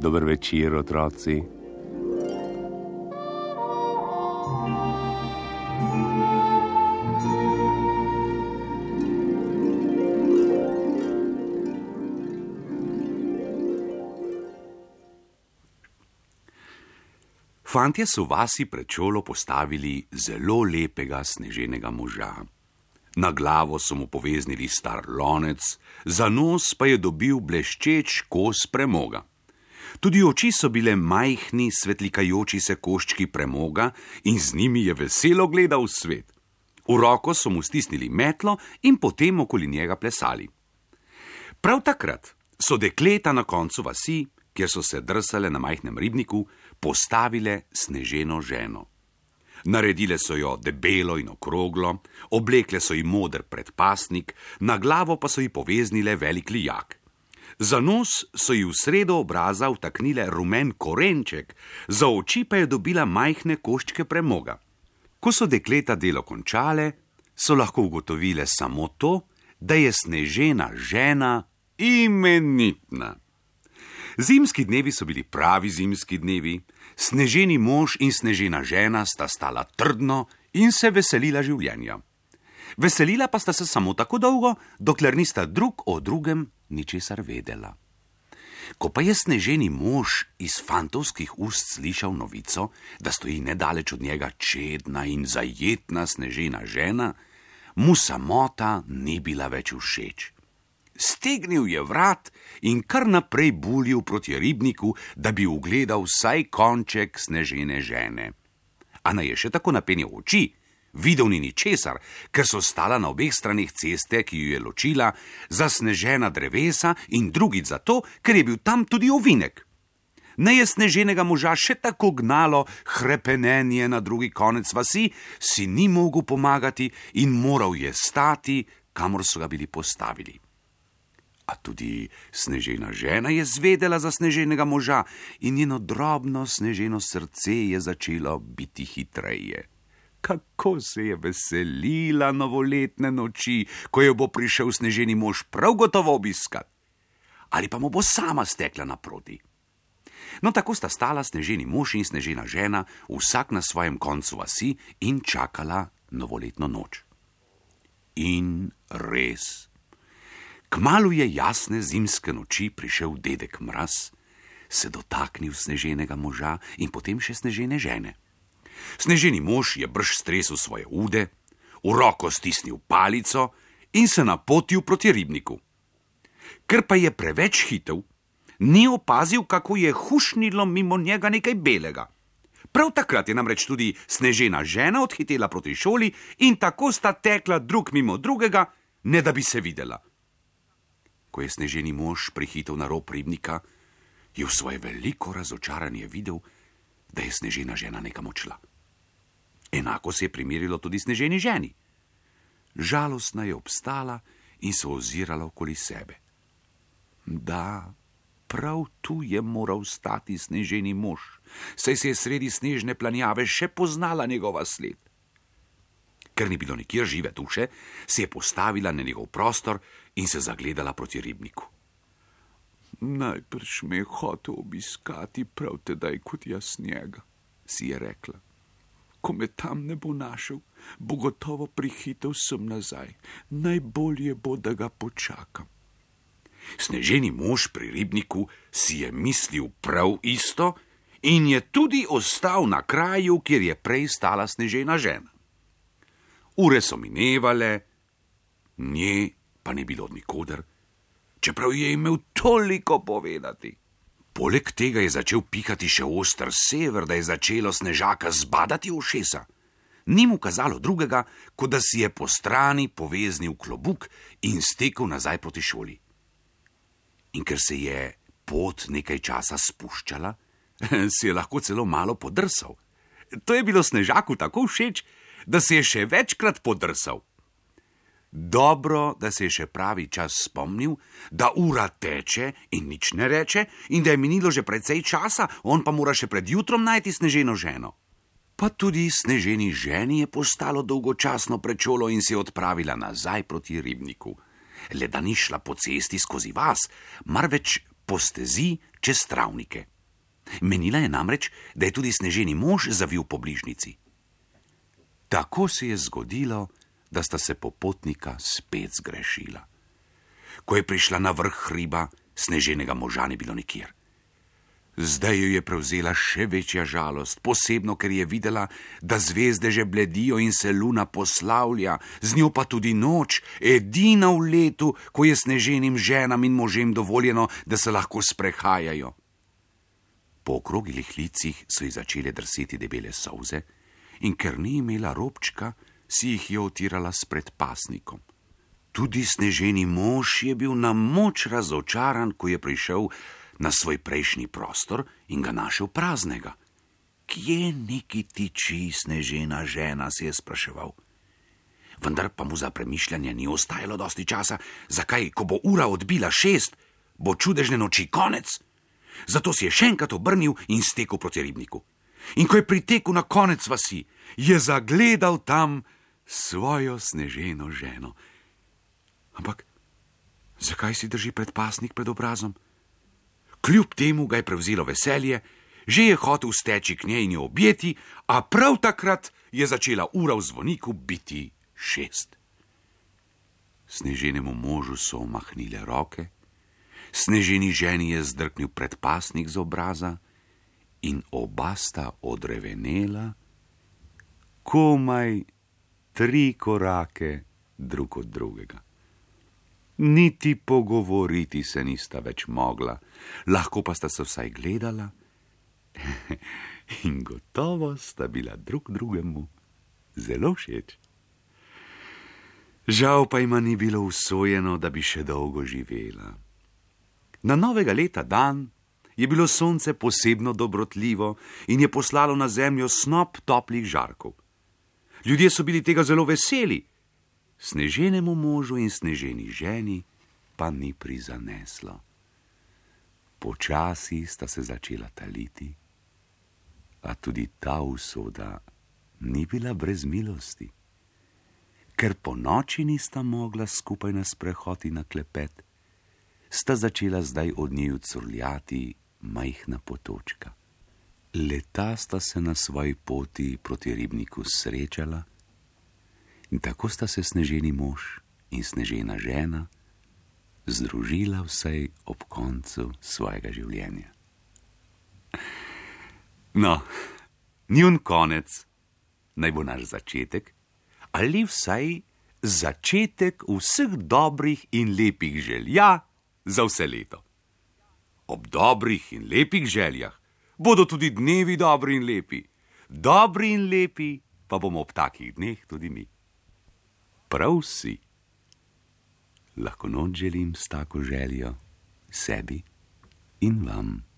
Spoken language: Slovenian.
Dober večer, otroci. Fantje so vasi pred šolo postavili zelo lepega sneženega moža. Na glavo so mu poveznili star lonec, za nos pa je dobil bleščeč kos premoga. Tudi oči so bile majhni, svetlikajoči se koščki premoga in z njimi je veselo gledal svet. V roko so mu stisnili metlo in potem okoli njega plesali. Prav takrat so dekleta na koncu vasi, kjer so se drsale na majhnem ribniku, postavile sneženo ženo. Naredile so jo debelo in okroglo, oblekle so ji moder predpasnik, na glavo pa so ji poveznile velik lijak. Za nos so ji v sredo obraza vtaknile rumen korenček, za oči pa je dobila majhne koščke premoga. Ko so dekleta delo končale, so lahko ugotovile samo to, da je snežena žena imenitna. Zimski dnevi so bili pravi zimski dnevi, sneženi mož in snežena žena sta stala trdno in se veselila življenja. Veselila pa sta se samo tako dolgo, dokler nista drug o drugem ničesar vedela. Ko pa je sneženi mož iz fantovskih ust slišal novico, da stoji nedaleč od njega čedna in zajetna snežena žena, mu samota ni bila več všeč. Stegnil je vrat in kar naprej buljil proti ribniku, da bi ugledal vsaj konček snežene žene. A naj je še tako napenjal oči, videl ni ničesar, ker so stala na obeh straneh ceste, ki jo je ločila, zasnežena drevesa in drugič zato, ker je bil tam tudi ovinek. Ne je sneženega moža še tako gnalo hrepenenje na drugi konec vasi, si ni mogel pomagati in moral je stati, kamor so ga bili postavili. A tudi snežena žena je zvedela za sneženega moža in njeno drobno sneženo srce je začelo biti hitreje. Kako se je veselila novoletne noči, ko jo bo prišel sneženi mož prav gotovo obiskat. Ali pa mu bo sama stekla naproti. No, tako sta stala sneženi mož in snežena žena, vsak na svojem koncu vasi in čakala novoletno noč. In res. Kmalu je jasne zimske noči prišel dedek Mraz, se dotaknil sneženega moža in potem še snežene žene. Sneženi mož je brž stresel svoje ude, v roko stisnil palico in se napotil proti ribniku. Ker pa je preveč hitev, ni opazil, kako je hušnilo mimo njega nekaj belega. Prav takrat je namreč tudi snežena žena odhitela proti šoli in tako sta tekla drug mimo drugega, ne da bi se videla. Ko je sneženi mož prihitel na rob ribnika, je v svoje veliko razočaranje videl, da je snežena žena nekam odšla. Enako se je primerilo tudi sneženi ženi. Žalostna je obstala in se ozirala okoli sebe. Da, prav tu je moral stati sneženi mož, saj se je sredi snežne planjave še poznala njegova sled. Ker ni bilo nikjer žive duše, se je postavila na njegov prostor in se zagledala proti ribniku. Najbrž me je hotel obiskati prav tedaj kot jaz njega, si je rekla. Ko me tam ne bo našel, bo gotovo prihitel sem nazaj. Najbolje bo, da ga počakam. Sneženi mož pri ribniku si je mislil prav isto in je tudi ostal na kraju, kjer je prej stala snežena žena. Ure so minevale, nje pa ni bilo od nikoder, čeprav je imel toliko povedati. Poleg tega je začel pihati še oster sever, da je začelo snežaka zbadati ušesa. Ni mu kazalo drugega, kot da si je po strani poveznil klobuk in stekel nazaj proti šoli. In ker se je pot nekaj časa spuščala, si je lahko celo malo podrsal. To je bilo snežaku tako všeč, da se je še večkrat podrsal. Dobro, da se je še pravi čas spomnil, da ura teče in nič ne reče in da je minilo že precej časa, on pa mora še pred jutrom najti sneženo ženo. Pa tudi sneženi ženi je postalo dolgočasno pred šolo in se je odpravila nazaj proti ribniku. Le da ni šla po cesti skozi vas, marveč po stezi čez travnike. Menila je namreč, da je tudi sneženi mož zavil po bližnjici. Tako se je zgodilo, da sta se popotnika spet zgrešila. Ko je prišla na vrh hriba, sneženega moža ni bilo nikjer. Zdaj jo je prevzela še večja žalost, posebno, ker je videla, da zvezde že bledijo in se luna poslavlja, z njo pa tudi noč, edina v letu, ko je sneženim ženam in možem dovoljeno, da se lahko sprehajajo. Po okrogilih licih so ji začele drseti debele solze in ker ni imela robčka, si jih je otirala s predpasnikom. Tudi sneženi mož je bil na moč razočaran, ko je prišel na svoj prejšnji prostor in ga našel praznega. Kje neki tiči snežena žena, si je spraševal. Vendar pa mu za premišljanje ni ostajalo dosti časa, zakaj, ko bo ura odbila 6, bo čudežne noči konec. Zato si je še enkrat obrnil in stekel proti ribniku. In ko je pritekel na konec vasi, je zagledal tam svojo sneženo ženo. Ampak zakaj si drži predpasnik pred obrazom? Kljub temu ga je prevzelo veselje, že je hotel steči k njej in jo objeti, a prav takrat je začela ura v zvoniku biti 6. Sneženemu možu so omahnile roke, sneženi ženi je zdrknil predpasnik z obraza in oba sta odrevenela, komaj 3 korake drug od drugega. Niti pogovoriti se nista več mogla, lahko pa sta se vsaj gledala in gotovo sta bila drug drugemu zelo všeč. Žal pa jima ni bilo usojeno, da bi še dolgo živela. Na novega leta dan je bilo sonce posebno dobrotljivo in je poslalo na zemljo snop toplih žarkov. Ljudje so bili tega zelo veseli, sneženemu možu in sneženi ženi pa ni prizaneslo. Počasi sta se začela taliti, a tudi ta usoda ni bila brez milosti. Ker po noči nista mogla skupaj na sprehod in na klepet, sta začela zdaj od njiju curljati majhna potočka. Leta sta se na svoji poti proti ribniku srečala in tako sta se sneženi mož in snežena žena združila vsaj ob koncu svojega življenja. No, njun konec naj bo naš začetek ali vsaj začetek vseh dobrih in lepih želja za vse leto. Ob dobrih in lepih željah bodo tudi dnevi dobri in lepi. Dobri in lepi pa bomo ob takih dneh tudi mi. Prav vsi. Lahko noč želim s tako željo sebi in vam.